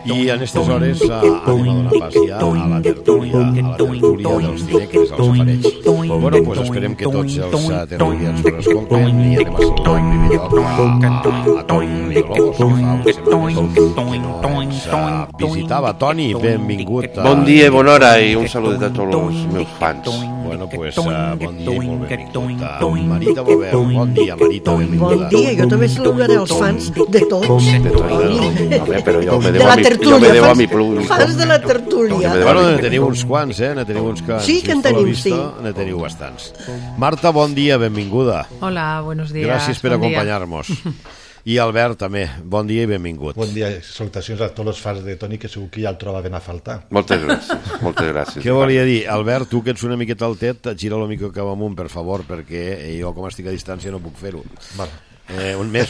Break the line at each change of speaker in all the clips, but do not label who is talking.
I en aquestes hores anem a donar pas ja a la tertúlia dels dimecres, als ofereix. Bueno, doncs esperem que tots els tertulians ens escolten i anem a saludar en primer lloc a Toni Villalobos, que fa unes setmanes que ens visitava. Toni, benvingut.
Bon dia i bona hora i un saludet a tots els meus fans.
Bueno, pues bon dia i molt benvingut. Marita Bovert, bon dia, Marita, benvinguda.
Bon dia, jo també saludaré els fans de tots.
Però jo me deu a mi públic.
Fans de la tertúlia.
Bueno, ne teniu uns quants, ne teniu uns quants.
Sí que en tenim, sí.
Ne teniu bastants. Marta, bon dia, benvinguda.
Hola, buenos días.
Gràcies per acompanyar-nos. I Albert, també, bon dia i benvingut.
Bon dia, salutacions a tots els fans de Toni, que segur que ja el trobaven a faltar.
Moltes gràcies.
Què volia dir? Albert, tu que ets una miqueta altet, gira el micro cap amunt, per favor, perquè jo, com estic a distància, no puc fer-ho. Més.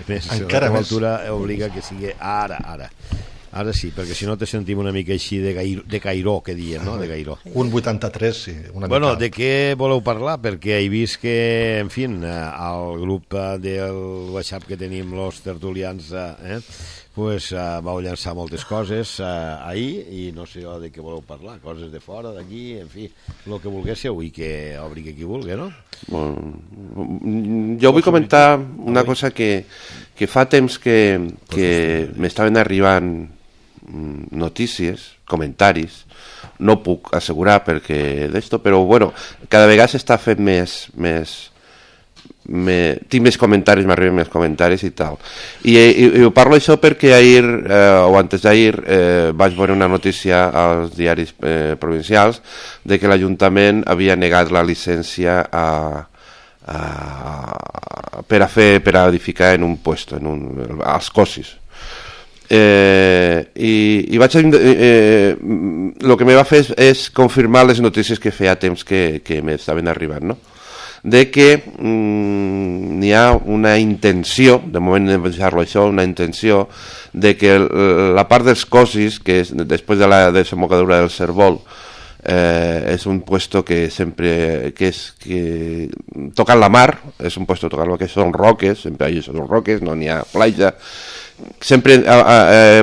Encara
la
més.
altura obliga que sigui ara. Ara sí, perquè si no te sentim una mica així de cairó, que diem, no? De cairó.
Un 83, sí.
Bueno, de què voleu parlar? Perquè he vist que, en fi, al grup del WhatsApp que tenim els tertulians, pues vau llançar moltes coses ahir i no sé de què voleu parlar, coses de fora, d'aquí, en fi, el que volguéssiu i que obri qui vulgui, no?
Jo vull comentar una cosa que fa temps que m'estaven arribant notícies, comentaris, no puc assegurar perquè d'esto, però bueno, cada vegada s'està fent tinc més comentaris, m'arriben més comentaris i tal. I ho parlo això perquè ahir, o antes d'ahir, vaig veure una notícia als diaris provincials de que l'Ajuntament havia negat la llicència per edificar en un puesto, als Cosis. I vaig el que me va fer és confirmar les notícies que feia temps que m'estaven arribant, no? De que n'hi ha una intenció, de moment de pensar-lo això, una intenció de que la part dels Cosis, que és després de la desembocadura del Cérvol, és un puesto que sempre que tocant la mar, és un puesto tocant lo que són roques, sempre allà són roques, no n'hi ha platja, sempre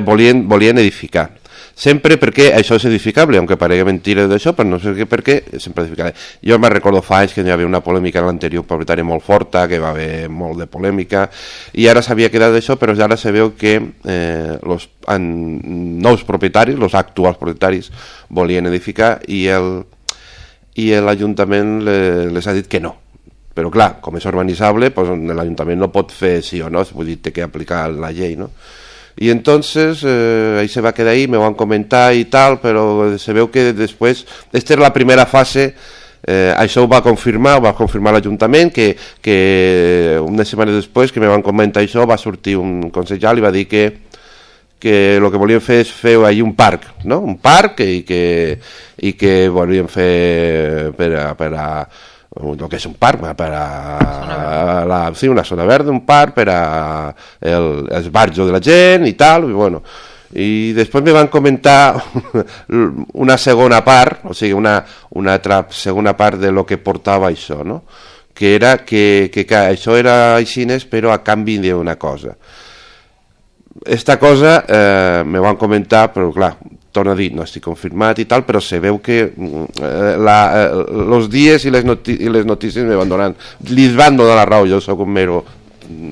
volien edificar, sempre perquè això és edificable, aunque paregui mentira d'això, però no sé per què sempre edificable. Jo me'n recordo fa anys que hi havia una polèmica en l'anterior propietari molt forta, que va haver molt de polèmica, i ara s'havia quedat d'això, però ara se veu que els nous propietaris, els actuals propietaris, volien edificar i l'Ajuntament les ha dit que no. Però clar, com és urbanitzable, pues, l'Ajuntament no pot fer sí o no, vull dir, té que aplicar la llei, no? I entonces ahí se va quedar ahí, me van comentar i tal, però se veu que després, esta era la primera fase, això ho va confirmar l'Ajuntament, que unes setmanes després que me van comentar això va sortir un consellal i va dir que el que volien fer és fer ahí un parc, no? Un parc i que volien fer per a el que és un parc, una zona verda, un parc per a esbarjo de la gent i tal, i bueno. I després me van comentar una segona part, o sigui, una altra segona part de lo que portava això, no? Que era que això era així, però a canvi d'una cosa. Esta cosa me van comentar, però clar, torno a dir, no estic confirmat i tal, però se veu que els dies i les notícies me van donar, li van donar la raó, jo soc un mero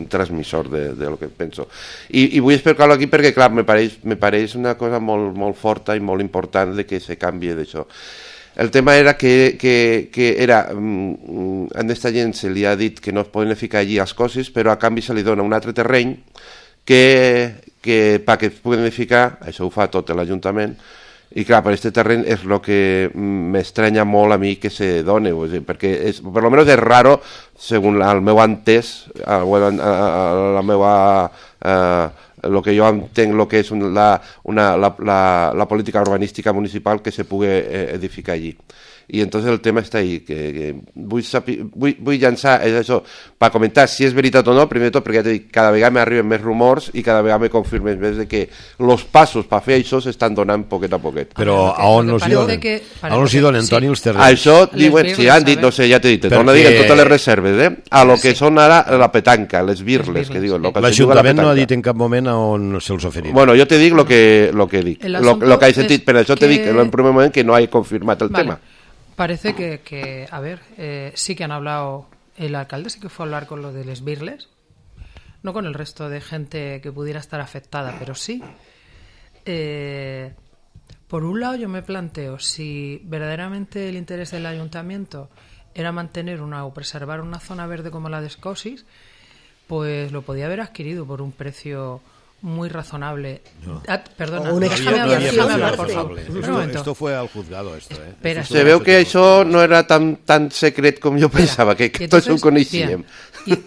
transmissor de lo que penso. I vull explicar-ho aquí perquè, clar, me pareix una cosa molt, molt forta i molt important de que se canvi d'això. El tema era que a aquesta gent se li ha dit que no es poden ficar allí els Cosis, però a canvi se li dona un altre terreny que perquè es puguin edificar, això ho fa tot l'Ajuntament, i clar, per aquest terreny és el que m'estranya molt a mi que se doni, perquè per almenys és raro, segons el meu entès, el que jo entenc, el que és la política urbanística municipal, que se pugui edificar allí. y entonces el tema està ahí, que vull llançar, és això, per comentar si és veritat o no, primer de tot perquè ja t'he dit, cada vegada m'arriben més rumors i cada vegada me confirmen més de que els passos per fer això s'estan donant poquet a poquet.
Però a on els hi donen? A on els hi donen, Toni, els terrenys?
Això diuen, si han dit, no sé, ja t'he dit, no diguen totes les reserves, a lo que són ara la petanca, les birles, que diuen.
L'Ajuntament no ha dit en cap moment a on se'ls oferirà.
Bueno, yo te digo lo que dic, lo que hay sentido, pero yo te digo en el primer momento que no hay confirmado el tema.
Parece que a ver, sí que han hablado, el alcalde sí que fue a hablar con lo de les birles, no con el resto de gente que pudiera estar afectada, pero sí. Por un lado yo me planteo si verdaderamente el interés del ayuntamiento era mantener o preservar una zona verde como la de Escosis, pues lo podía haber adquirido por un precio muy razonable.
No.
Perdona,
déjame hablar,
por favor.
Esto fue al juzgado,
Espera,
Se veu que això no era tan secret com jo pensava, que tots ho coneixíem.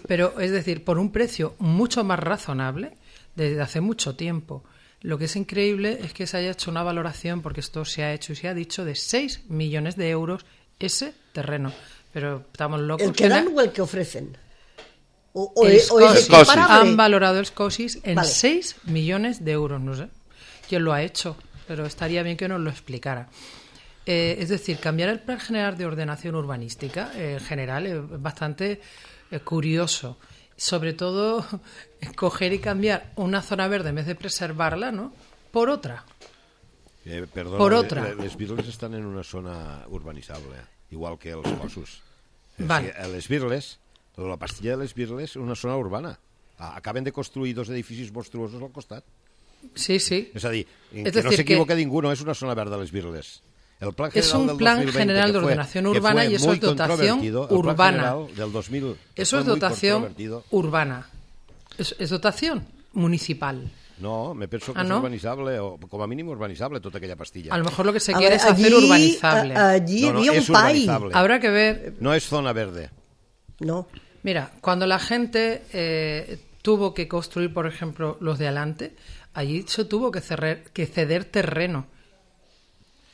Pero, es decir, por un precio mucho más razonable, desde hace mucho tiempo. Lo que es increíble es que se haya hecho una valoración, porque esto se ha hecho y se ha dicho, de 6 millones de euros ese terreno. Pero estamos locos.
¿El que dan o el que ofrecen?
El Escosis.
Comparable.
Han valorado el Escosis en
Vale.
6 millones de euros, no sé quién lo ha hecho, pero estaría bien que nos lo explicara. Es decir, cambiar el Plan General de Ordenación Urbanística, en general, es bastante curioso. Sobre todo, coger y cambiar una zona verde en vez de preservarla, ¿no?, por otra.
Perdona,
por otra.
Les Birles estan en una zona urbanitzable, igual que els Cossos.
Vale.
Les Birles, la pastilla de les Birles és una zona urbana. Acaben de construir 2 edificis monstruosos al costat.
Sí, sí.
És a dir,
Es
que
decir,
no s'equivoca ningú, no és una zona verda les Birles. El plan
Es un
del
plan
2020,
general de
que fue-
ordenación
que fue
urbana y eso
muy
es dotación
controvertido, el plan
urbana.
general del 2000, que
Eso
fue
es
muy
dotación
controvertido.
urbana. Es dotación municipal.
No, me penso que
Ah,
és
no?
urbanitzable, o com a mínim urbanitzable, tota aquella pastilla.
A lo mejor lo que se
A
quiere
ver,
es hacer urbanizable.
Allí
No, no,
había
és
un pai.
urbanizable.
Habrá que ver.
No és zona verde.
No.
Mira, cuando la gente tuvo que construir, por ejemplo, los de adelante, allí se tuvo que ceder terreno.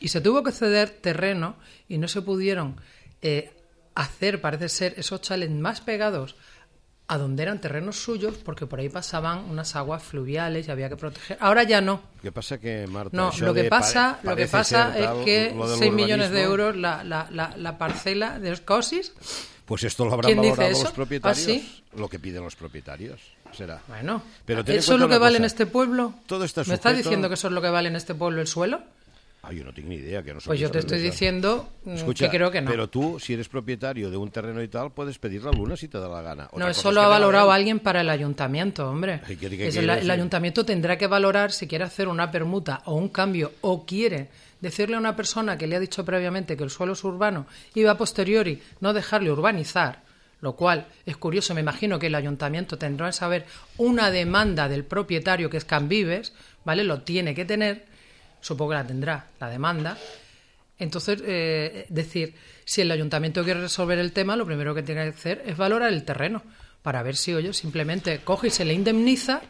Y se tuvo que ceder terreno y no se pudieron hacer, parece ser, esos chalets más pegados a donde eran terrenos suyos, porque por ahí pasaban unas aguas fluviales y había que proteger. Ahora ya no.
Què passa que, Marta,
No,
això
lo que
de
pasa
parece
es
ser tal,
que
lo del
6 millones de
urbanismo,
euros la parcela de Escosis.
Pues esto lo habrán
¿Quién dice
valorado
eso?
los propietarios.
¿Ah, sí?
Lo que piden los propietarios, será.
Bueno,
Pero ten en
¿eso es
cuenta
lo que
una
vale en
cosa.
este pueblo?
Todo está
¿Me estás
sujeto-
diciendo que eso es lo que vale en este pueblo el suelo?
Ah, yo no tengo ni idea. Que no soy
Pues yo te estoy
especialista.
diciendo
Escucha,
que creo que no.
Pero tú, si eres propietario de un terreno y tal, puedes pedir la luna si te da la gana. Otra
No,
cosa
eso
es
lo
que
ha
te la
valorado
den.
alguien para el ayuntamiento, hombre.
Ay, ¿qué
Es
quiere
el
decir?
ayuntamiento tendrá que valorar si quiere hacer una permuta o un cambio o quiere decirle a una persona que le ha dicho previamente que el suelo es urbano y va a posteriori no dejarle urbanizar, lo cual es curioso. Me imagino que el ayuntamiento tendrá que saber una demanda del propietario, que es Canvives, ¿vale? Lo tiene que tener, supongo que la tendrá, la demanda. Entonces, decir, si el ayuntamiento quiere resolver el tema, lo primero que tiene que hacer es valorar el terreno, para ver si, oye, simplemente coge y se le indemniza,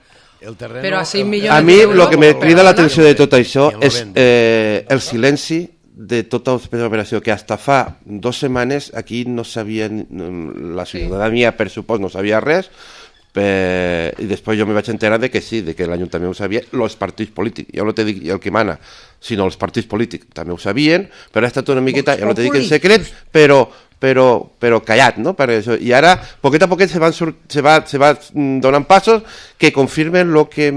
El terreno,
pero a 6
el-
millones
A mi
de euros,
el que me crida
perdona.
l'atenció de tot això
I el
és
vende.
el silenci de tota l'operació, que hasta fa 2 setmanes aquí no sabien, la ciutadania per supòs no sabia res, i després jo me vaig enterar de que sí, de que l'Ajuntament ho sabia, els partits polítics, ja no te dic el que mana, sinó els partits polítics també ho sabien, però ha estat una miqueta, ja no te dic en secret, però callat, no? Per això. I ara, poquet a poquet se va donant passos que confirmen el que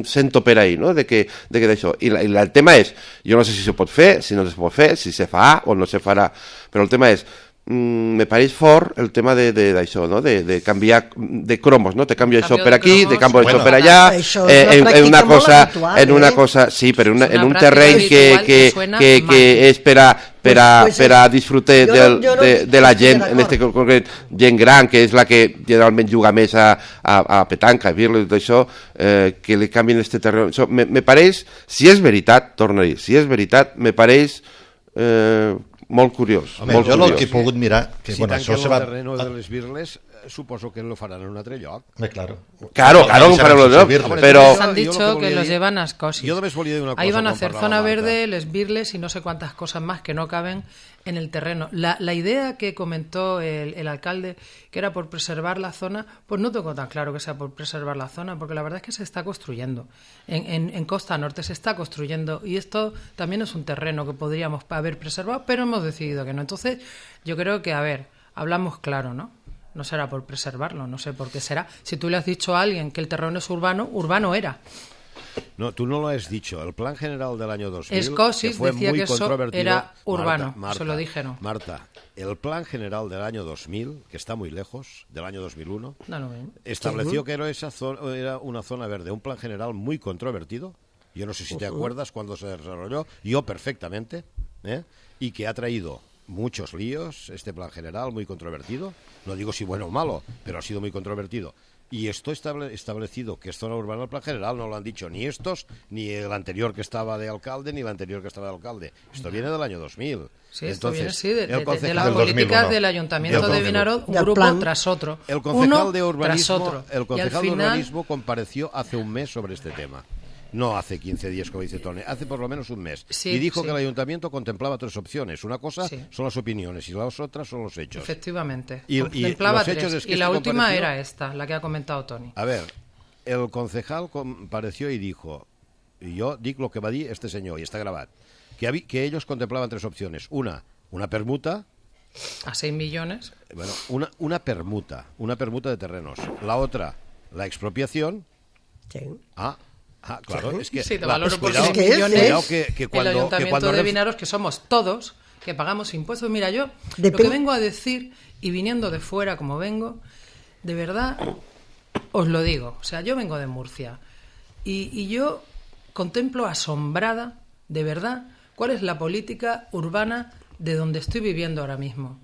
sento per ahí, no? De que d'això. I el tema és, jo no sé si se pot fer, si no se pot fer, si se fa o no se farà, però el tema és, me pareix fort el tema d'això, no? De canviar de cromos, no? Te canvio això per aquí, te canvio això per allà,
Això és una
en una
pràctica molt
cosa,
habitual,
en una
eh?
cosa, sí, però en un
pràctica
terreny
habitual que suena mal.
que és per a disfrutar
jo no
de la gent,
estic
en este concret, gent gran, que és la que generalment juga més a petanca, a birles, tot això, que li canvien este terreny. Això, me pareix, si és veritat, torno a dir, si és veritat, me pareix molt curiós.
Home,
molt
jo el
curiós.
que he pogut mirar, que
Si
bueno,
tanquen
això se
el
va...
terreno de les Birles, suposo que lo faran en un altre lloc.
Claro.
Claro, ho farem los llocs, però...
Les han dicho que los llevan a Escocia.
Yo només volia dir una cosa.
Ahí van a
quan
hacer
parlava
zona
Marta.
verde, les birles y no sé cuántas cosas más que no caben en el terreno. La idea que comentó el alcalde, que era por preservar la zona, pues no tengo tan claro que sea por preservar la zona, porque la verdad es que se está construyendo. En Costa Norte se está construyendo y esto también es un terreno que podríamos haber preservado, pero hemos decidido que no. Entonces, yo creo que, a ver, hablamos claro, ¿no? No será por preservarlo, no sé por qué será. Si tú le has dicho a alguien que el terreno es urbano, urbano era.
No, tú no lo has dicho. El plan general del año 2000
Escocis
que fue
decía
muy
que eso
controvertido.
era urbano,
Marta,
se lo dijeron.
Marta, el plan general del año 2000, que está muy lejos, del año 2001, estableció que era una zona verde, un plan general muy controvertido. Yo no sé si te acuerdas cuando se desarrolló, yo perfectamente, y que ha traído muchos líos, este plan general muy controvertido. No digo si bueno o malo, pero ha sido muy controvertido. Y esto establecido que es zona urbana el plan general, no lo han dicho ni estos, ni el anterior que estaba de alcalde, ni el anterior que estaba de alcalde. Esto viene del año 2000.
Sí, esto
Entonces,
viene de las
del
políticas
2001.
del Ayuntamiento de Vinaròs, un
Del
grupo
plan.
tras otro.
El concejal
uno
de
tras
urbanismo,
otro.
el
Y
concejal
al
de
final,
urbanismo compareció hace un mes sobre este tema. No hace 15 días, como dice Tony, hace por lo menos un mes.
Sí,
y dijo
sí.
que el ayuntamiento contemplaba tres opciones. Una cosa
Sí.
son las opiniones y las otras son los hechos.
efectivamente,
Y
contemplaba
los hechos
tres.
es que
Y la
este
última
compareció-
era esta, la que ha comentado Tony.
A ver, el concejal compareció y dijo, y yo digo lo que va a decir este señor, y está grabado, que ellos contemplaban tres opciones. Una permuta,
A 6 millones.
bueno, una permuta de terrenos. La otra, la expropiación.
Sí.
Claro, es que...
Sí, te valoro por
cuidado,
6
que es,
millones.
cuidado que
El
cuando...
Ayuntamiento de Vinaròs, que somos todos, que pagamos impuestos. Mira, yo lo
Depende-
que vengo a decir, y viniendo de fuera como vengo, de verdad, os lo digo. O sea, yo vengo de Murcia y yo contemplo asombrada, de verdad, cuál es la política urbana de donde estoy viviendo ahora mismo.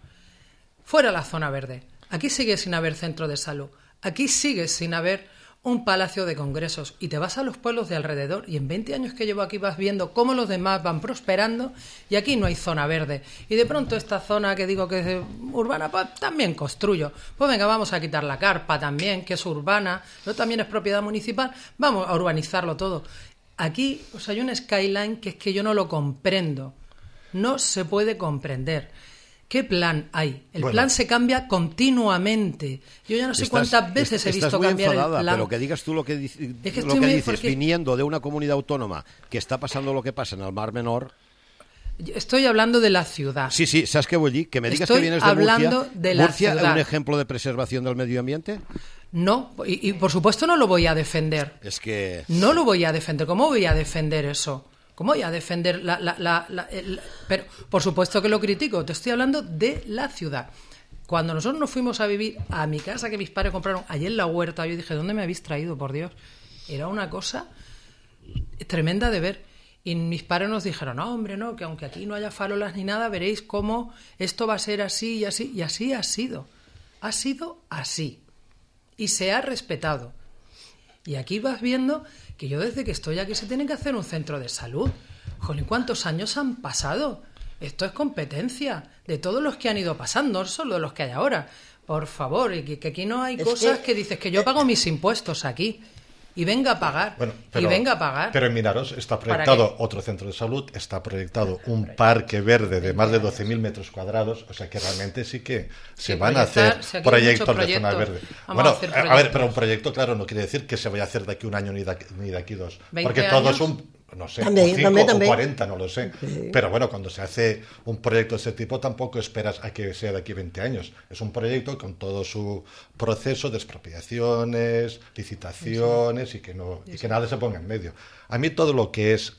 Fuera la zona verde. Aquí sigue sin haber centro de salud. Aquí sigue sin haber un palacio de congresos. Y te vas a los pueblos de alrededor y en 20 años que llevo aquí vas viendo cómo los demás van prosperando y aquí no hay zona verde. Y de pronto esta zona que digo que es urbana, pues también construyo. Pues venga, vamos a quitar la carpa también, que es urbana, no también es propiedad municipal. Vamos a urbanizarlo todo. Aquí hay un skyline que es que yo no lo comprendo. No se puede comprender. ¿Qué plan hay? El plan se cambia continuamente. Yo ya no sé cuántas veces he visto cambiar el plan.
Pero que digas tú lo que,
Es que
lo
estoy
que
muy-
dices,
porque-
viniendo de una comunidad autónoma que está pasando lo que pasa en el Mar Menor.
Estoy hablando de la ciudad.
Sí, ¿sabes qué voy a decir? Que me digas
Estoy
que vienes de
hablando
Murcia.
de la
¿Murcia es
ciudad.
un ejemplo de preservación del medio ambiente?
No, y por supuesto no lo voy a defender.
Es que...
No lo voy a defender. ¿Cómo voy a defender eso? ¿Cómo voy a defender pero por supuesto que lo critico. Te estoy hablando de la ciudad. Cuando nosotros nos fuimos a vivir a mi casa que mis padres compraron allí en la huerta, yo dije, ¿dónde me habéis traído, por Dios? Era una cosa tremenda de ver. Y mis padres nos dijeron, no, hombre, no, que aunque aquí no haya farolas ni nada, veréis cómo esto va a ser así y así. Y así ha sido. Ha sido así. Y se ha respetado. Y aquí vas viendo que yo desde que estoy aquí se tiene que hacer un centro de salud. Jolín, ¿cuántos años han pasado? Esto es competencia de todos los que han ido pasando, no solo de los que hay ahora. Por favor, y que aquí no hay
Es
cosas
que-
que dices que yo pago mis impuestos aquí. Y venga a pagar.
Bueno,
y venga a pagar.
Pero en Vinaròs está
¿Para
proyectado
qué?
otro centro de salud, está proyectado un parque verde de más de 12.000 metros cuadrados, o sea que realmente sí que se van a
proyectar,
hacer
si aquí hay
proyectos
muchos
de zona
proyectos,
verde.
vamos
Bueno,
a hacer
a ver,
proyectos.
pero un proyecto, claro, no quiere decir que se vaya a hacer de aquí un año ni de aquí dos.
20
Porque todo
años.
es un, no sé,
También,
o 5
también,
o
también.
40, no lo sé. Pero bueno, cuando se hace un proyecto de ese tipo tampoco esperas a que sea de aquí 20 años. Es un proyecto con todo su proceso de expropiaciones, licitaciones y que nada se ponga en medio. A mí todo lo que es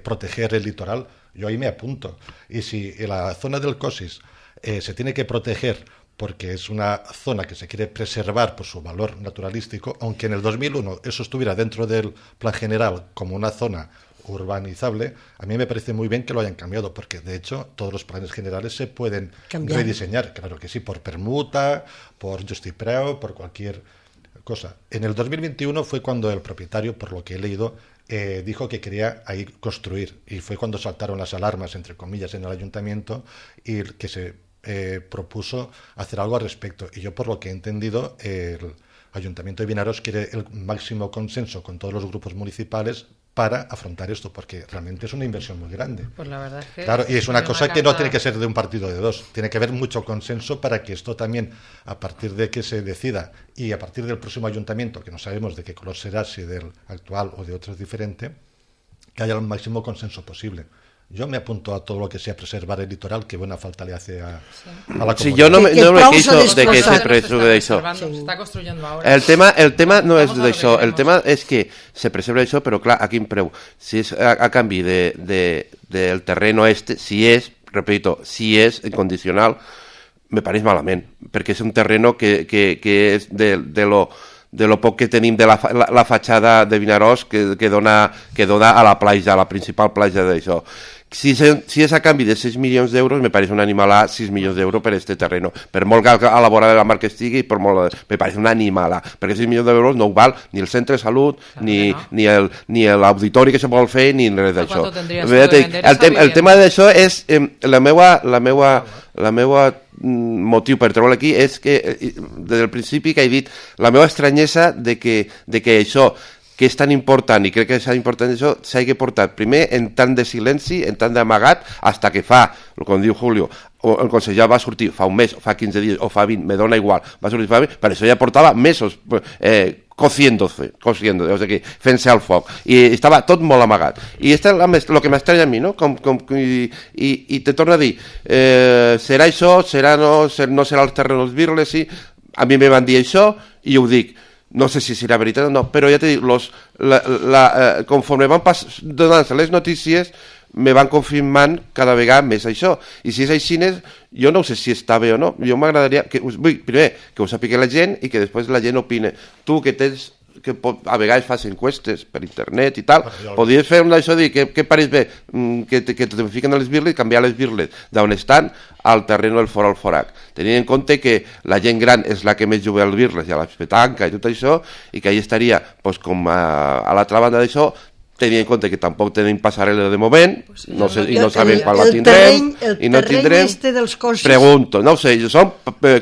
proteger el litoral, yo ahí me apunto. Y si en la zona del Cosis se tiene que proteger porque es una zona que se quiere preservar por su valor naturalístico, aunque en el 2001 eso estuviera dentro del plan general como una zona urbanizable, a mí me parece muy bien que lo hayan cambiado, porque de hecho todos los planes generales se pueden
Cambiar.
rediseñar, claro que sí, por permuta, por justipreu, por cualquier cosa. En el 2021 fue cuando el propietario, por lo que he leído, dijo que quería ahí construir, y fue cuando saltaron las alarmas, entre comillas, en el ayuntamiento, y que se propuso hacer algo al respecto. Y yo, por lo que he entendido, el Ayuntamiento de Vinaroz quiere el máximo consenso con todos los grupos municipales para afrontar esto, porque realmente es una inversión muy grande.
Pues la verdad es que...
Claro, y es una cosa que no tiene que ser de un partido de dos, tiene que haber mucho consenso para que esto también, a partir de que se decida y a partir del próximo ayuntamiento, que no sabemos de qué color será, si del actual o de otro es diferente, que haya el máximo consenso posible. Yo me apunto a todo lo que sea preservar el litoral, que buena falta le hace a la comunidad.
Sí, yo no me queixo de que se preserve d'això.
Se està construyendo ahora.
El tema no és
Vamos a lo que
d'això, el
queremos.
tema és que se preserve això, però clar, a quin preu? Si és a canvi del terreno si és, repito, si és incondicional, me pareix malament, perquè és un terreno que és de lo poc que tenim de la fatxada de Vinaròs que dona a la platja, a la principal platja d'això. Si és a canvi de 6 milions d'euros, me pareix un animalà 6 milions d'euros per este terreno. Per molt que a la vora de la mar que estigui, me pareix un animalà. Perquè 6 milions d'euros no ho val ni el centre de salut, ni l'auditori que se vol fer, ni res d'això. El tema d'això és la meua motiu per treure aquí és que des del principi que he dit la meva estranyesa de que això que és tan important, i crec que és tan important això, s'hagi portat primer en tant de silenci, en tant d'amagat, hasta que fa, com diu Julio, el conseller va sortir fa un mes, o fa 15 dies, o fa 20, me dona igual, va sortir fa 20, per això ja portava mesos cociéndose, o sigui, fent-se al foc, i estava tot molt amagat. I això és el que m'estranya a mi, no? I te torno a dir, serà això, no serà els terrenos virles, sí, a mi me van dir això, i ho dic, no sé si serà veritat o no, però ja t'he dit, conforme van donant-se les notícies, me van confirmant cada vegada més això. I si és així, jo no sé si està bé o no. Jo m'agradaria, primer, que ho sàpiga la gent i que després la gent opine. Tu que tens, que a vegades fas encuestes per internet i tal, podries fer un d'això, dir què pareix bé, que te fiquen a les birles i canviar les birles d'on estan al terreno del fora al forac, tenint en compte que la gent gran és la que més juga al birles i a la petanca i tot això, i que allà estaria com a l'altra banda d'això, tenint en compte que tampoc tenim passarel·la de moment, no sé, i no sabem quan la tindrem, i no tindrem, pregunto, no ho sé, són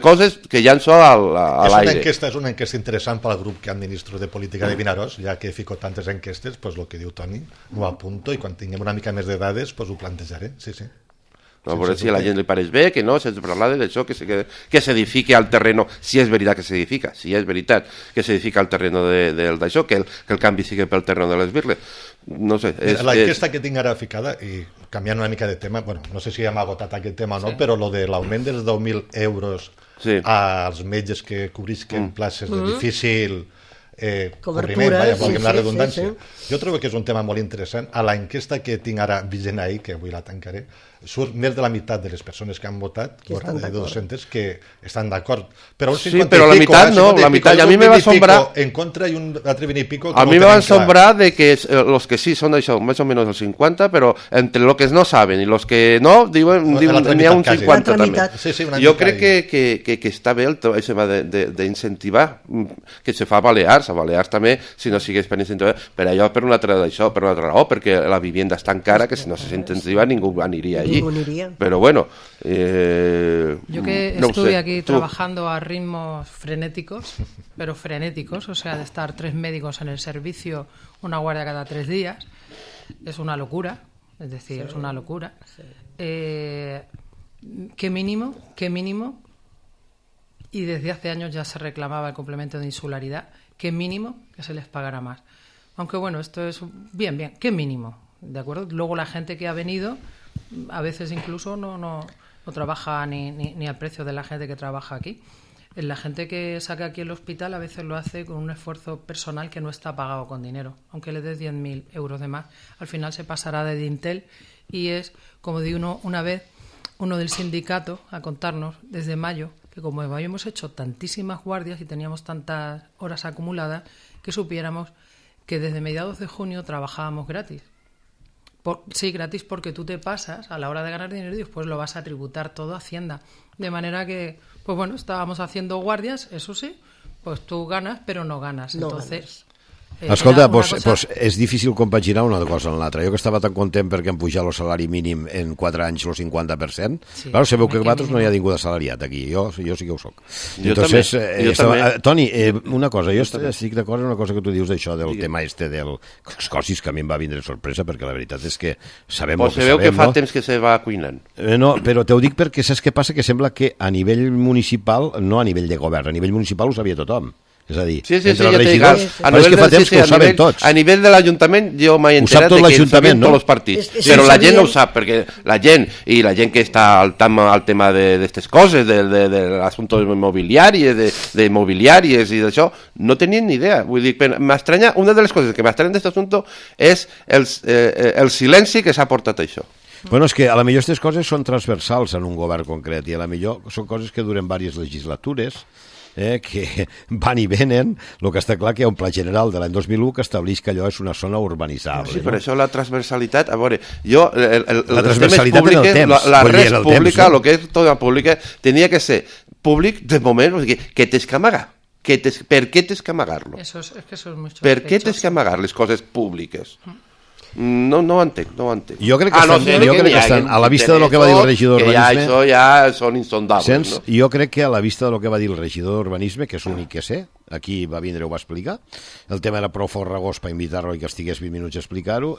coses que llanço a l'aire.
És una enquesta interessant pel grup que administro de política de Vinaròs, ja que fico tantes enquestes, doncs el que diu Toni, m'ho apunto, i quan tinguem una mica més de dades, doncs ho plantejaré, sí.
No, a veure si a la gent li pareix bé, que no, sense parlar d'això, que s'edifiqui al terreno, si és veritat que s'edifica, si és veritat que s'edifica al terreno d'això, que el canvi sigui pel terreno de les birles. No sé.
L'enquesta que tinc ara ficada, i canviant una mica de tema, bueno, no sé si ja m'ha agotat aquest tema o no, però lo de l'augment dels 10.000 euros als metges que cobrisquen places de difícil cobriment, valgui la redundància. Jo trobo que és un tema molt interessant. A l'enquesta que tinc ara vigent ahir, que avui la tancaré, surt més de la meitat de les persones que han votat, de 200, que estan d'acord. Però un 50
sí, però la meitat no, la meitat, i a mi me va assombrar
en contra i un altre 20 i pico
a mi me va assombrar de que los que sí són això, més o menys el 50, però entre los que no saben i los que no, diuen n'hi ha un 50 també. Jo crec que està bé el tema d'incentivar, que se fa a Balears també, si no sigués per incentivar, per allò, per una altra raó, perquè la vivienda és tan cara que si no s'incentiva ningú aniria allí. Pero bueno,
yo que estuve aquí trabajando a ritmos frenéticos, pero frenéticos, o sea, de estar 3 médicos en el servicio, una guardia cada 3 días, es una locura, es decir, es una locura. ¿Qué mínimo? Y desde hace años ya se reclamaba el complemento de insularidad, qué mínimo que se les pagara más. Aunque bueno, esto es bien, qué mínimo, ¿de acuerdo? Luego la gente que ha venido a veces incluso no trabaja ni al precio de la gente que trabaja aquí. La gente que saca aquí el hospital a veces lo hace con un esfuerzo personal que no está pagado con dinero. Aunque le des 10.000 euros de más, al final se pasará de dintel y es, como digo una vez, uno del sindicato a contarnos desde mayo, que como habíamos hecho tantísimas guardias y teníamos tantas horas acumuladas, que supiéramos que desde mediados de junio trabajábamos gratis. Sí, gratis porque tú te pasas a la hora de ganar dinero y después lo vas a tributar todo a Hacienda. De manera que, pues bueno, estábamos haciendo guardias, eso sí, pues tú ganas, pero no ganas. Entonces,
Escolta, doncs és difícil compaginar una cosa amb l'altra. Jo que estava tan content perquè han pujat el salari mínim en 4 anys el 50%, sí, clar, sabeu que vosaltres no hi ha ningú assalariat aquí, jo sí que ho soc. Entonces, també. Toni, una cosa, jo estic d'acord amb una cosa que tu dius d'això, del tema del Escòcies, que a mi em va vindre sorpresa, perquè la veritat és que sabem el que sabem,
que fa temps que se va cuinant.
No, però te ho dic perquè saps què passa? Que sembla que a nivell municipal, no a nivell de govern, a nivell municipal ho sabia tothom. És a dir, entre els regidors, però és que fa temps que ho saben tots.
A nivell de l'Ajuntament jo m'he enterat que ho sabien tots els partits, però la gent no ho sap, perquè la gent que està al tema d'aquestes coses, d'assumptes immobiliaris, d'immobiliàries i d'això, no tenien ni idea. Vull dir, m'estranya, una de les coses que m'estranya d'aquest assumpte és el silenci que s'ha portat això.
Bueno, és que a la millor aquestes coses són transversals en un govern concret i a la millor són coses que duren diverses legislatures, que van i venen. El que està clar que hi ha un pla general de l'any 2001 que estableix que allò és una zona urbanitzable.
Sí, per això la transversalitat, a veure, jo,
la transversalitat en el temps,
la res pública, el que és tota pública, tenia que ser públic de moment, o sigui, que tens que amagar. Per què tens que amagar-lo? Per què tens que amagar les coses públiques? No ho entenc.
Jo crec que estan a la vista de lo que va dir el regidor d'urbanisme.
Això ja són insondables.
Jo crec que a la vista de lo que va dir el regidor d'urbanisme, que és l'únic que sé, aquí va vindre i ho va explicar, el tema era prou farragós per invitar-lo i que estigués 20 minuts a explicar-ho.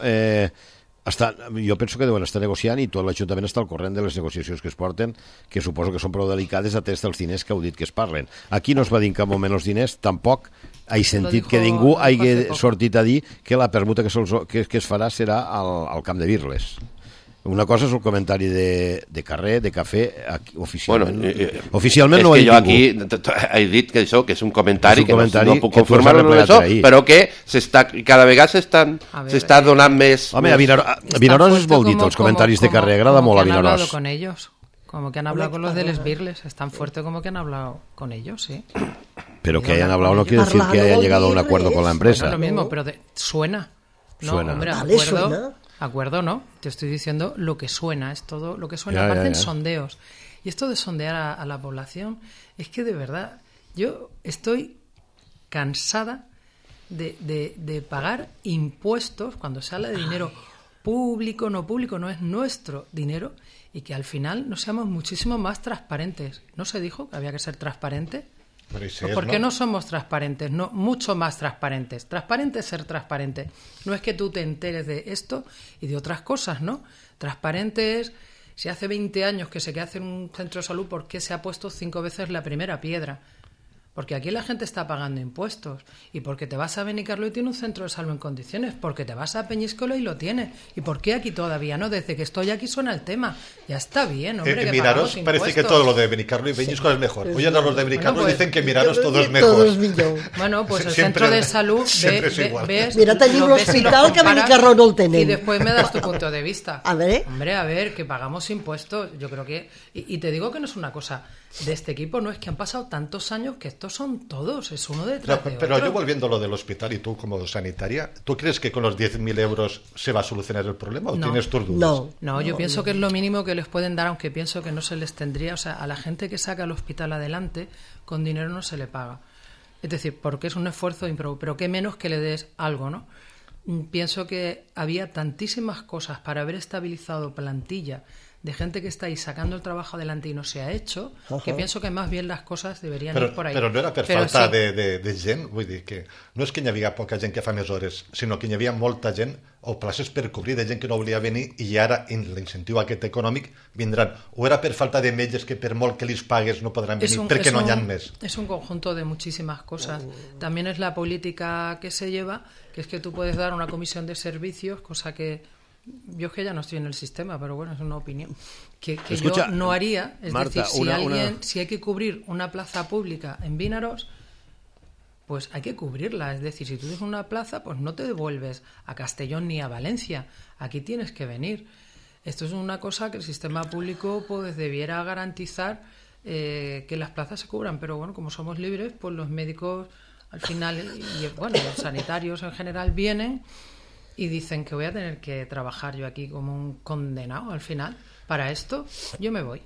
Jo penso que deuen estar negociant i tot l'Ajuntament està al corrent de les negociacions que es porten, que suposo que són prou delicades atès dels diners que heu dit que es parlen. Aquí no es va dir en cap moment els diners, tampoc he sentit que ningú hagi sortit a dir que la permuta que es farà serà al Camp de Birles. Una cosa és el comentari de carrer, de cafè, oficialment. Oficialment no ho ha dit ningú.
És que jo aquí he dit que això que és un comentari que no puc confirmar-ho amb això, però que cada vegada s'està donant més...
Home, a Vinaròs es vol dir els comentaris de carrer, agrada molt a Vinaròs.
Como que han hablado con los de Les Birles, es tan fuerte como que han hablado con ellos, sí.
Pero que hayan hablado no quiere decir que hayan llegado a un acuerdo con la empresa.
Bueno, lo mismo, pero suena. No,
suena.
Hombre, acuerdo no, te estoy diciendo lo que suena, es todo lo que suena, aparte en sondeos. Y esto de sondear a la población, es que de verdad, yo estoy cansada de pagar impuestos cuando se habla de dinero público, no es nuestro dinero, y que al final no seamos muchísimo más transparentes. ¿No se dijo que había que ser transparente? ¿Por qué no somos transparentes? No, mucho más transparentes. Transparente es ser transparente. No es que tú te enteres de esto y de otras cosas, ¿no? Transparente es, si hace 20 años que se queda hacer un centro de salud, ¿por qué se ha puesto 5 veces la primera piedra? Porque aquí la gente está pagando impuestos. Y porque te vas a Benicarló y tiene un centro de salud en condiciones. Porque te vas a Peñíscola y lo tiene. ¿Y por qué aquí todavía no? Desde que estoy aquí suena el tema. Ya está bien, hombre, que
Miraros parece que todo lo de Benicarló y Peñíscola es mejor. Oye, los de Benicarló dicen que Miraros todo es mejor.
Bueno, pues el centro de salud ves...
Mira, tenim l'hospital que a Benicarló no el tenen.
Y después me das tu punto de vista.
A ver.
Hombre, a ver, que pagamos impuestos. Yo creo que... Y te digo que no es una cosa de este equipo, no es que han pasado tantos años que estos son todos, es uno detrás de otro.
Pero yo volviendo a lo del hospital y tú como sanitaria, ¿tú crees que con los 10.000 euros se va a solucionar el problema o tienes tus dudas?
No, yo pienso que es lo mínimo que les pueden dar, aunque pienso que no se les tendría, o sea, a la gente que saca el hospital adelante, con dinero no se le paga. Es decir, porque es un esfuerzo ímprobo, pero qué menos que le des algo, ¿no? Pienso que había tantísimas cosas para haber estabilizado plantilla de gente que está ahí sacando el trabajo adelante y no se ha hecho, que pienso que más bien las cosas deberien ir por ahí.
Però no era per falta de gent, vull dir que no és que hi havia poca gent que fa més hores, sinó que hi havia molta gent o places per cobrir de gent que no volia venir i ara l'incentiu aquest econòmic vindran. O era per falta de metges que per molt que li pagues no podran venir perquè no hi ha més.
Es un conjunto de muchísimas cosas. También es la política que se lleva, que es que tú puedes dar una comisión de servicios, cosa que yo es que ya no estoy en el sistema, pero bueno, es una opinión que
Escucha,
yo no haría. Es
Marta,
decir, si hay que cubrir una plaza pública en Vinaros, pues hay que cubrirla. Es decir, si tú tienes una plaza, pues no te devuelves a Castellón ni a Valencia. Aquí tienes que venir. Esto es una cosa que el sistema público pues debiera garantizar, que las plazas se cubran. Pero bueno, como somos libres, pues los médicos al final y bueno, los sanitarios en general vienen y dicen que voy a tener que trabajar yo aquí como un condenado al final. Para esto, yo me voy.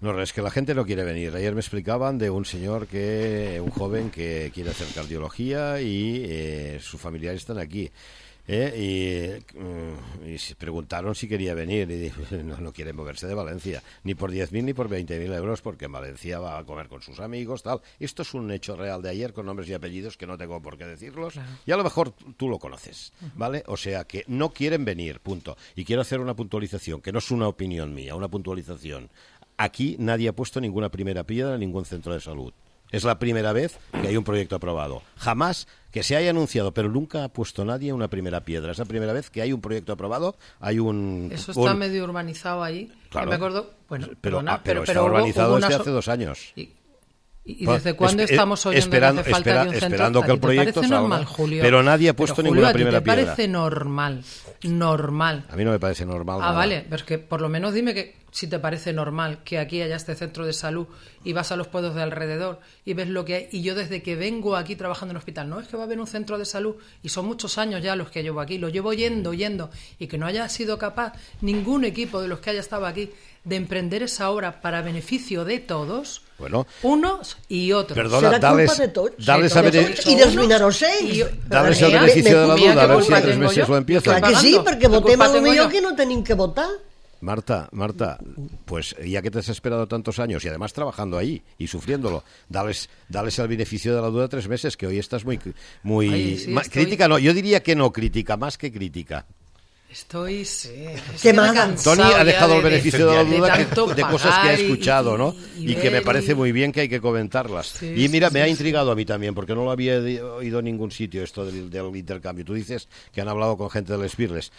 No, es que la gente no quiere venir. Ayer me explicaban de un joven que quiere hacer cardiología y sus familiares están aquí. Y se preguntaron si quería venir y dije, no quiere moverse de Valencia ni por 10.000 ni por 20.000 euros porque en Valencia va a comer con sus amigos, tal. Esto es un hecho real de ayer con nombres y apellidos que no tengo por qué decirlos, claro. Y a lo mejor tú lo conoces, ¿vale? O sea que no quieren venir, punto. Y quiero hacer una puntualización, que no es una opinión mía, una puntualización. Aquí nadie ha puesto ninguna primera piedra en ningún centro de salud. Es la primera vez que hay un proyecto aprobado. Jamás que se haya anunciado, pero nunca ha puesto nadie una primera piedra. Es la primera vez que hay un proyecto aprobado.
Eso está medio urbanizado ahí.
Claro.
Me acuerdo,
pero está urbanizado desde hace 2 años.
¿Y desde cuándo estamos oyendo que hace falta de un centro?
Esperando que el proyecto
salga.
Normal,
Julio?
Pero nadie ha puesto ninguna primera piedra.
¿Te parece normal?
A mí no me parece normal.
Ah, vale, pero es que por lo menos dime que si te parece normal que aquí haya este centro de salud y vas a los pueblos de alrededor y ves lo que hay. Y yo desde que vengo aquí trabajando en el hospital, no es que va a haber un centro de salud y son muchos años ya los que llevo aquí, lo llevo yendo y que no haya sido capaz ningún equipo de los que haya estado aquí de emprender esa obra para beneficio de todos, unos y otros.
Perdona, dales el
beneficio de la duda, a ver si en 3 meses lo empiezan.
Clar que sí, perquè votem potser que no tenim que votar.
Marta, pues ya que te has esperado tantos años y además trabajando ahí y sufriéndolo, dales el beneficio de la duda 3 meses, que hoy estás muy crítica, no, yo diría que no crítica, más que crítica.
Estoy
Tony ha dejado el beneficio de la duda de cosas que ha escuchado, ¿no? Y que me parece muy bien que hay que comentarlas. Sí, y mira, me ha intrigado a mí también, porque no lo había oído en ningún sitio esto del intercambio. Tú dices que han hablado con gente del Spirles.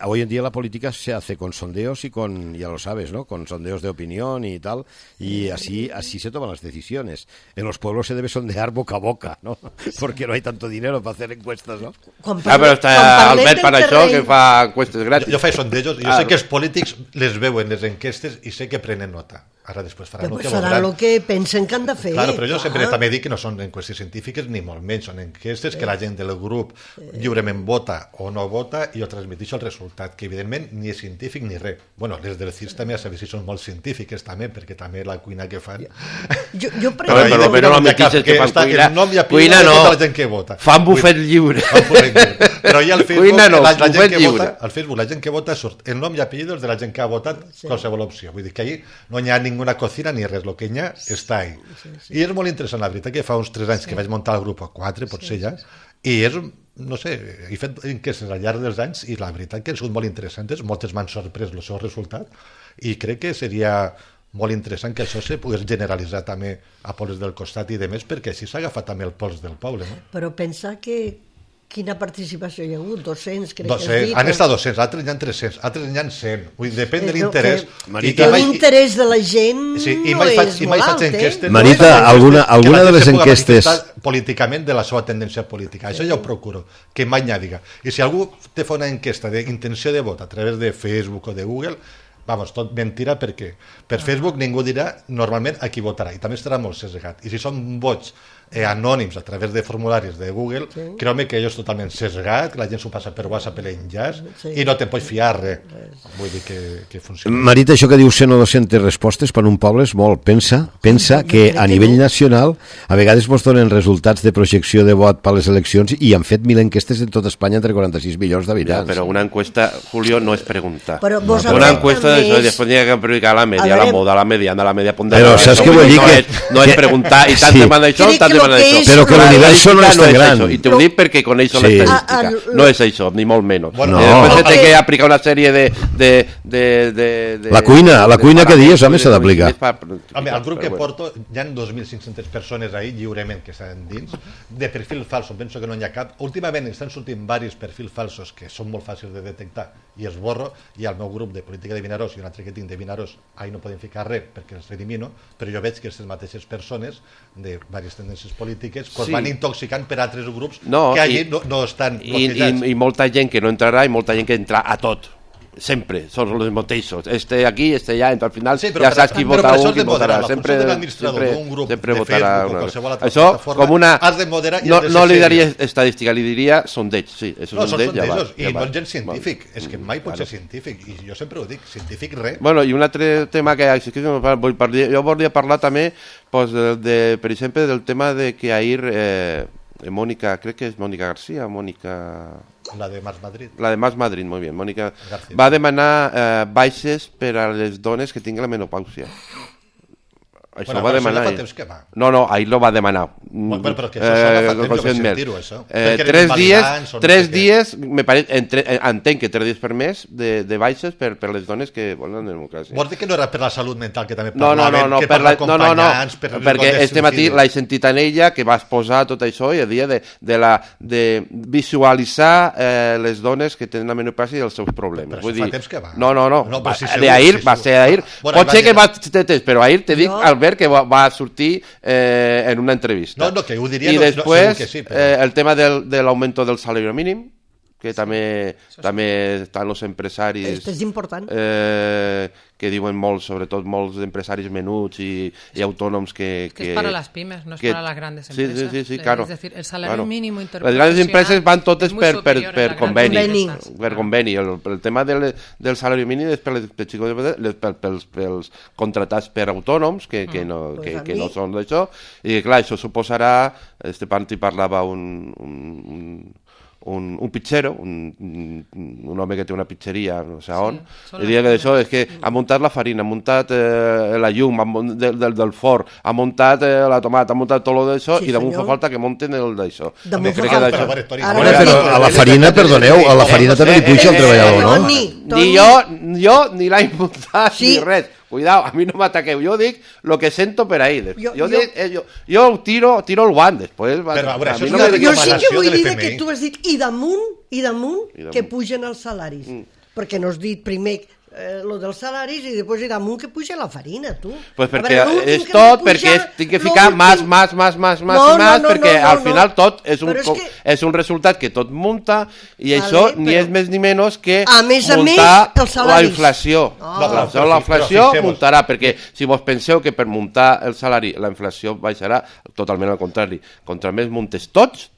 Hoy en día la política se hace con sondeos y ya lo sabes, ¿no? Con sondeos de opinión y tal, y así se toman las decisiones. En los pueblos se debe sondear boca a boca, ¿no? Porque no hay tanto dinero para hacer encuestas, ¿no?
Però està Albert per això que fa encuestes gratis.
Jo faig sondejos, jo sé que els polítics les veuen les enquestes i sé que prenen nota. Ara després faran el que voldran.
El que pensen que han de fer.
Claro, però jo sempre també dic que no són enquestes científiques ni molt menys, són enquestes que la gent del grup lliurement vota o no vota i jo transmetixo el resultat, que evidentment ni és científic ni res. Bueno, les del CIS també a saber si són molt científiques també, perquè també la cuina que fan...
Jo
però no admetixes que fan cuina. Cuina no,
la gent que vota.
Fan bufet lliure.
Però ja al Facebook la gent que vota surt el nom i apellidos de la gent que ha votat qualsevol opció. Vull dir que ahí no hi ha ninguna cocina ni res, lo que hi ha està ahí. I és molt interessant, la veritat, que fa uns 3 anys que vaig muntar el grup, o 4 potser ja, i és, no sé, he fet enquestes al llarg dels anys i la veritat que han sigut molt interessants, moltes m'han sorprès el seu resultat i crec que seria molt interessant que això se pogués generalitzar també a pobles del costat i de més, perquè així s'ha agafat també el pols del poble, no?
Però pensar que quina participació hi ha hagut? 200, crec
200.
Que has dit.
Han estat 200, altres n'hi ha 300, altres n'hi ha 100. Vull dir, depèn de l'interès.
L'interès de la gent no és molt alt,
Marita, alguna de les enquestes...
políticament de la seva tendència política. Això ja ho procuro, que mai n'hi diga. I si algú te fa una enquesta d'intenció de vot a través de Facebook o de Google, vamos, tot mentira, perquè per Facebook ningú dirà normalment a qui votarà i també estarà molt sesgat. I si són vots anònims a través de formularis de Google, creu-me que allò és totalment sesgat, que la gent s'ho passa per WhatsApp l'enllaç i no te'n pots fiar res. Vull dir que funciona.
Marita, això que dius 100 o 200 respostes per un poble és molt. Pensa que a nivell nacional a vegades mos donen resultats de projecció de vot per les eleccions i han fet 1.000 enquestes en tota Espanya entre 46 milions d'habitants.
Però una encuesta, Julio, no és preguntar.
Una
encuesta després n'hi ha que publicar la media, la moda, la media ponderada.
Però saps què vull dir?
No és preguntar i tant te manda això, tant
però que l'universo no és tan gran.
I t'ho dic perquè coneixo l'estadística. No és això, ni molt menys. Després té que aplicar una sèrie de...
La cuina que dius, home, s'ha d'aplicar.
Home, al grup que porto hi ha 2.500 persones ahí lliurement que estan dins, de perfil falso, penso que no n'hi ha cap. Últimament estan sortint diversos perfils falsos que són molt fàcils de detectar i els borro, i al meu grup de política de Vinaròs i un altre que tinc de Vinaròs, ahí no podem ficar res perquè els elimino, però jo veig que aquestes mateixes persones de diverses tendències polítiques van intoxicant per altres grups que allí no estan bloquejats.
I molta gent que no entrarà i molta gent que entra a tot. sempre, són els mateixos. Este aquí, este allà, al final
Sí,
ja saps qui vota un, qui votarà.
La funció de l'administrador d'un grup de Facebook o qualsevol altra
Això,
plataforma,
com una...
has de moderar i
no,
has de ser
no li daria
seriós.
estadística, li diria sondeig, sí. És un
No, són
sondeig, ja va,
sondejos, i
ja
no
va.
és gens científic, és que mai pot ser científic, i jo sempre ho dic, científic res.
Bueno, i un altre tema que jo volia parlar també, pues, per exemple, del tema de que ahir Mónica, crec que és Mónica García,
La de Más Madrid.
la de Más Madrid, molt bé, Mónica,
García.
va demanar baixes per a les dones que tinguin la menopàusia. Això
Bueno,
va
però això
demanar
ja fa
ell.
temps que va.
No, ahir lo va demanar.
Bueno, però que això ja fa temps, jo vaig
conscientment.
sentir-ho, això. Perquè eren
3
invalidants o no
dies,
sé què.
entenc que 3 dies per mes de baixes per les dones que volen la democràcia.
Vols dir que no era per la salut mental, que també
No,
parlaven, que per l'acompanyants, per les
perquè
dones
este matí
suïcides?
l'he sentit en ella que va exposar tot això i a dia de visualitzar les dones que tenen la menopàusia i els seus problemes.
Però
Vull
això fa
dir,
temps que va.
No,
No, però sí, segur,
d'ahir,
sí,
va
segur.
ser d'ahir.
Bueno,
Pot ser que
va
va ser temps, però ahir te dic, Albert, que va sortir en una entrevista.
No, que ho diria,
I
no,
després,
segur que sí, però...
el tema de l'augmento del salari mínim, que també estan els empresaris
Este és important.
que diuen molts, sobretot molts empresaris menuts i autònoms que
Es para las pymes, no es para las grandes empresas.
Sí, claro.
Es decir, el salario mínimo
Les grandes empreses van totes per conveni.
empreses.
Per conveni. El tema del salari mínim és pels contratats per autònoms que no són d'això, i clar, això suposarà, este Panti parlava un pizzero, un home que té una pizzeria no sé on, i diria que d'això és que ha muntat la farina, ha muntat la llum del forn, ha muntat la tomata, ha muntat tot d'això, i damunt fa falta que munten el d'això.
Damunt
Crec
fa
que
falta.
d'això...
Però a la farina, perdoneu, a la farina també li puja el treballador, no?
Ni jo ni l'he muntat ni res. Cuidao, a mi no m'ataqueu, jo dic el que sento per ahir. Jo tiro el guant, després...
Però, a veure, això és
Jo sí que
recomanació
vull
de
dir
l'FMI.
que tu has dit i damunt que pugen els salaris. Perquè no has dit primer lo dels salaris i després i damunt que puja la farina, tu.
Pues perquè és tot, perquè tinc que ficar més, perquè al final tot és un resultat que tot munta i això ni és més ni menys que muntar la inflació. La inflació muntarà, perquè si vos penseu que per muntar el salari la inflació baixarà, totalment al contrari. Contra més muntes tot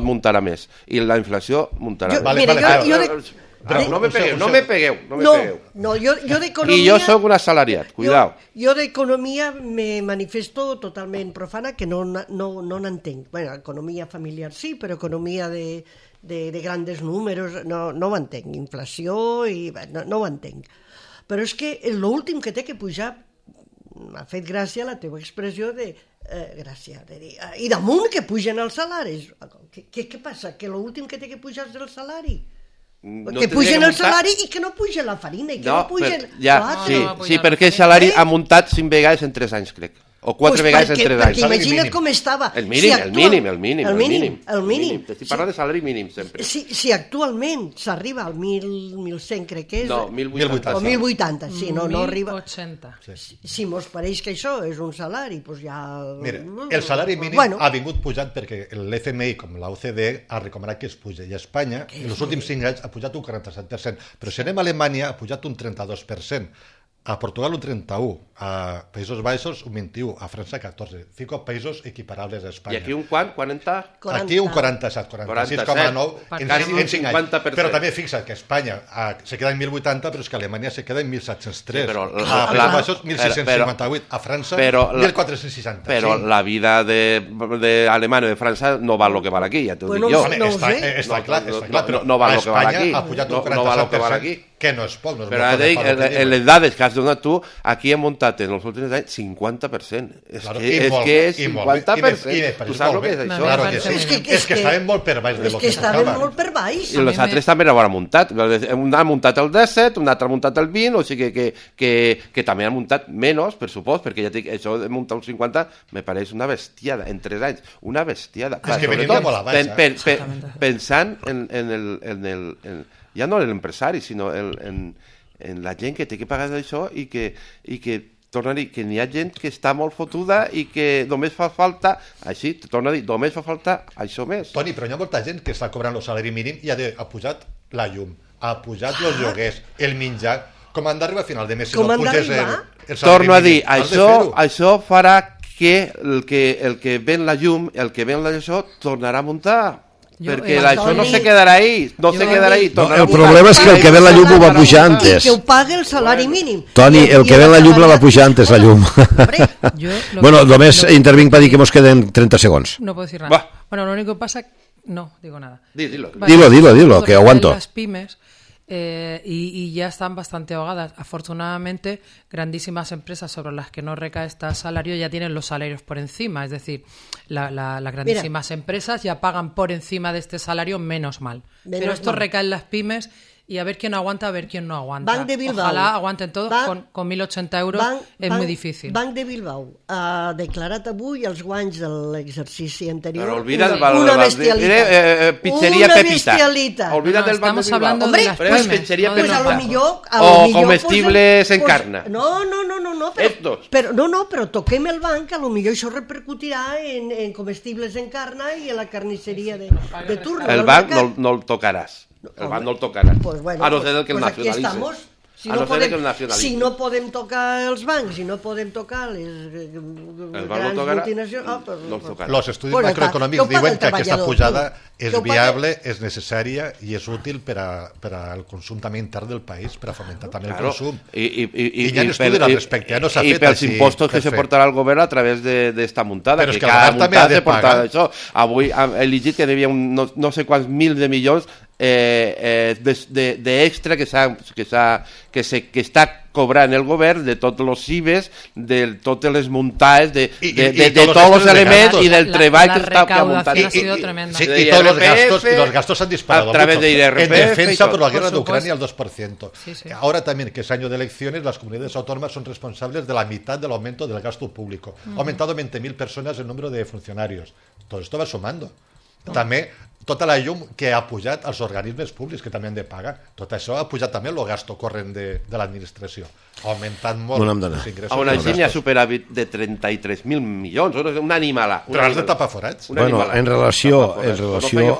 muntarà més i la inflació muntarà més. No me pegueu.
No, jo d'economia...
I jo sóc un assalariat, cuidao.
Jo d'economia me manifesto totalment profana, que no n'entenc. Bueno, economia familiar sí, però economia de grandes números no ho entenc. Inflació, no ho entenc. Però és que l'últim que té que pujar, m'ha fet gràcia la teva expressió de dir, i damunt que pugen els salaris. Què passa? Que l'últim que té que pujar és el salari? Que pugen el salari i que no puja la farina i que no pugen l'altre.
Sí, perquè el salari ha muntat 5 vegades en 3 anys, crec. O 4 vegades en 3 anys.
Perquè imagina't com estava.
El mínim. Estic parlant de salari mínim, sempre.
Si actualment s'arriba al 1.100, crec que és...
No, 1.080.
O 1.080, sí, no arriba...
1.080.
Si mos pareix que això és un salari, doncs ja...
Mira, el salari mínim ha vingut pujant perquè l'FMI, com l'OCDE, ha recomanat que es puja. I a Espanya, en els últims 5 anys, ha pujat un 47%. Però si anem a Alemanya, ha pujat un 32%. A Portugal un 31%, a Països Baixos un 21%, a França 14%. Fico països equiparables a Espanya.
I aquí un quant? 40?
Aquí un 47, 46,9% en 5 anys. Però també fixa't que Espanya se queda en 1.080, però és que Alemanya se queda en 1.703. A Països Baixos 1.658, a França 1.460.
Però la vida d'Alemanya o de França no val el que val aquí, ja t'ho dic jo.
Està clar, però
no val el que val aquí.
Espanya ha pujat un 47%, que no és poc.
Però en les dades que has donat tu, aquí hem muntat en els últims anys 50%. És que és 50%. Tu saps el que és això?
Claro que sí. És que estàvem molt per baix de lo que s'acaba.
És que estàvem molt per baix.
I els altres també l'han muntat. Un ha muntat el 17, un altre ha muntat el 20, o sigui que també han muntat menys, per supost, perquè ja dic, això de muntar un 50 me pareix una bestiada, en 3 anys. Una bestiada.
És que venim de molt a baix.
Pensant en ja no en l'empresari, sinó en la gent que té que pagar d'això i que torna a dir que n'hi ha gent que està molt fotuda i que només fa falta, així, torna a dir, només fa falta això més.
Toni, però hi ha molta gent que està cobrant el salari mínim i ha pujat la llum, ha pujat els lloguers, el menjar, com han d'arribar a final de mes si
Com
no
han
puges
d'arribar?
el salari
Torno a dir,
mínim? Has de fer-ho.
això farà que el que ven la llum, el que ven això, tornarà a muntar. Perquè això no se quedarà ahí, no se quedarà ahí.
No, el problema és que el que ven la llum ho va pujar
I
antes.
que ho pague el salari mínim.
Toni, el que ven la llum la va pujar antes, la llum. Bueno, només intervinc per dir que mos queden 30 segons.
No puedo decir nada.
Va.
Bueno, lo único que pasa... No, digo nada.
Dilo.
Dilo, que aguanto.
Las pymes y ya están bastante ahogadas. Afortunadamente, grandísimas empresas sobre las que no recae este salario ya tienen los salarios por encima. Es decir, las grandísimas empresas ya pagan por encima de este salario, menos mal. Pero esto recae en las pymes y a ver quién aguanta, a ver quién no aguanta.
Banc de Bilbao.
Ojalá aguanten todos con 1.080 euros. Es muy difícil.
Banc de Bilbao ha declarat avui els guanys de l'exercici anterior.
Però olvida
una bestialitat.
Pizzeria
una
Pepita.
bestialitat.
Olvida del Banc de
estamos
Bilbao.
hablando
Hombre,
de las
pues,
pymes.
pizzería
no
Pues
de
a
los
lo
bancos.
millor...
O comestibles en carna.
No,
Estos.
però toquem el banc, a lo millor això repercutirà en comestibles en carna i en la carnisseria de turno.
El banc no el tocaràs. El banc no el tocaràs.
Pues bueno,
a no ser que el
pues aquí
nacionalitze.
estamos. Si
a
no,
no ser que el nacionalitze.
si no podem tocar els bancs, si no podem tocar les grans multinacionals...
No el tocarà.
Los estudis
Bueno,
macroeconòmics
que ho paga
diuen
el
que aquesta
treballador,
pujada
que
és
ho paga-
viable, és necessària i és útil per al consum també intern del país, per a fomentar també el consum.
I
hi ha estudis al respecte, no s'ha
i
fet
pels
així,
impostos que
per
se
fer.
portarà el govern a través d'esta muntada.
Però és que el
cada
govern també ha
muntada
de
se porta
pagar.
això. Avui he llegit que devia no sé quants mil de milions d'extra que està cobrant el govern de tots els IBES, de totes les muntades, de tots els elements i del treball que està muntant.
ha sido tremenda.
Sí, y todos los gastos han disparado
a través
mucho.
de IRPF
En defensa
y
por la
todo.
guerra de
Por
Ucrania
supuesto.
al 2%.
Sí, sí.
Ahora también, que es año de elecciones, las comunidades autónomas son responsables de la mitad del aumento del gasto público. Ha aumentado 20.000 personas el número de funcionarios. Todo esto va sumando. També tota la llum que ha pujat als organismes públics que també han de pagar. Tot això ha pujat també el gasto corrent de l'administració. Ha augmentat molt els ingressos.
A una
dels
Xina
gastos.
superàvit de 33.000 milions, una animala.
Però has de tapar forats.
Bueno, en relació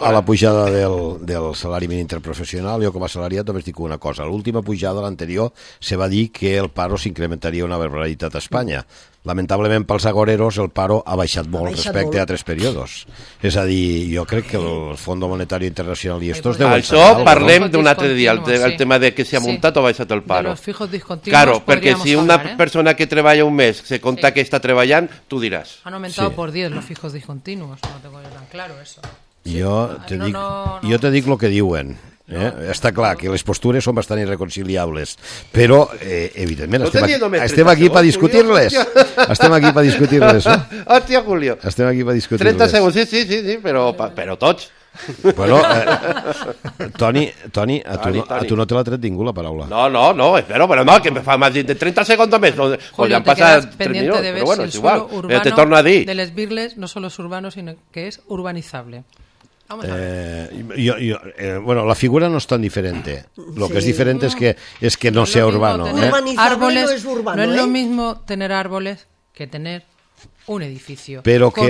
a la pujada del salari mínim interprofessional, jo com a salariat només dic una cosa. L'última pujada, l'anterior, se va dir que el paro s'incrementaria una barbaritat a Espanya. Lamentablement pels agoreros el paro ha baixat molt respecte a altres períodos. És a dir, jo crec que el Fons Monetari Internacional i estos deuen saber
Això
alguna
parlem
cosa.
d'un altre dia, el tema de que si ha muntat o ha baixat el paro.
De los fijos discontinuos
Claro, perquè si una
hablar,
persona que treballa un mes se conta que està treballant, tu diràs.
Han aumentado por 10 los fijos discontinuos, no tengo yo tan claro eso.
Jo te dic el que diuen. Està clar que les postures són bastant irreconciliables, però evidentment estem aquí per discutir-les. Estem aquí per discutir-les.
Hòstia, Julio.
Estem aquí per discutir-les.
30 segons, sí, però tots.
Bueno, Toni, a tu no te l'ha tret ningú la paraula.
No, espero, però no, que me fa més de 30 segons més.
Julio, te quedas pendiente de ver si el suelo urbano de Les Birles no solo es urbano, sino que es urbanizable. Vamos a ver.
Bueno, la figura no es tan diferente. Lo que es diferente es que no sea urbano.
Árboles, no es lo mismo tener árboles que tener un edificio.
Pero que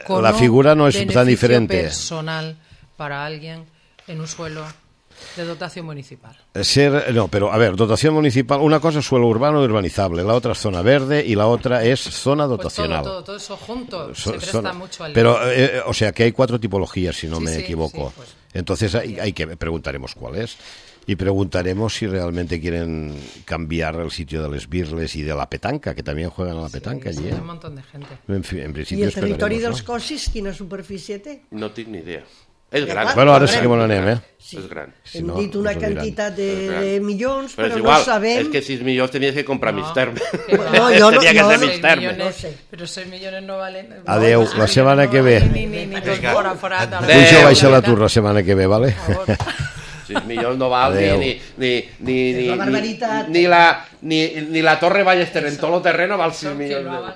la figura no es tan diferente.
Personal para alguien en un suelo de dotación municipal.
Pero a ver, dotación municipal, una cosa es suelo urbano y urbanizable, la otra es zona verde y la otra es zona dotacional.
Pues todo eso junto se presta mucho al...
Pero, o sea, que hay 4 tipologías, si no me equivoco. Pues. Entonces hay que preguntaremos cuál es. Y preguntaremos si realmente quieren cambiar el sitio de les Birles y de la petanca, que también juegan a la petanca allí.
Hay un montón de gente.
En principio
I el territori dels Cossis, quina superfície té?
No tinc ni idea. És gran.
Bueno, ara sí que on anem,
Sí.
És gran.
Hem dit una quantitat de milions, però
igual,
no sabem...
És que 6 milions tenies que comprar mig terme.
No, jo no,
Tenia que ser
no,
mig terme.
no sé.
Però 6 milions no valen...
Adeu, la setmana que ve.
Ni dos forat.
Puja baixa l'atur la setmana que ve, vale?
6 milions no val
La barbaritat.
ni la Torre Ballester en tot el terreno val 6 milions.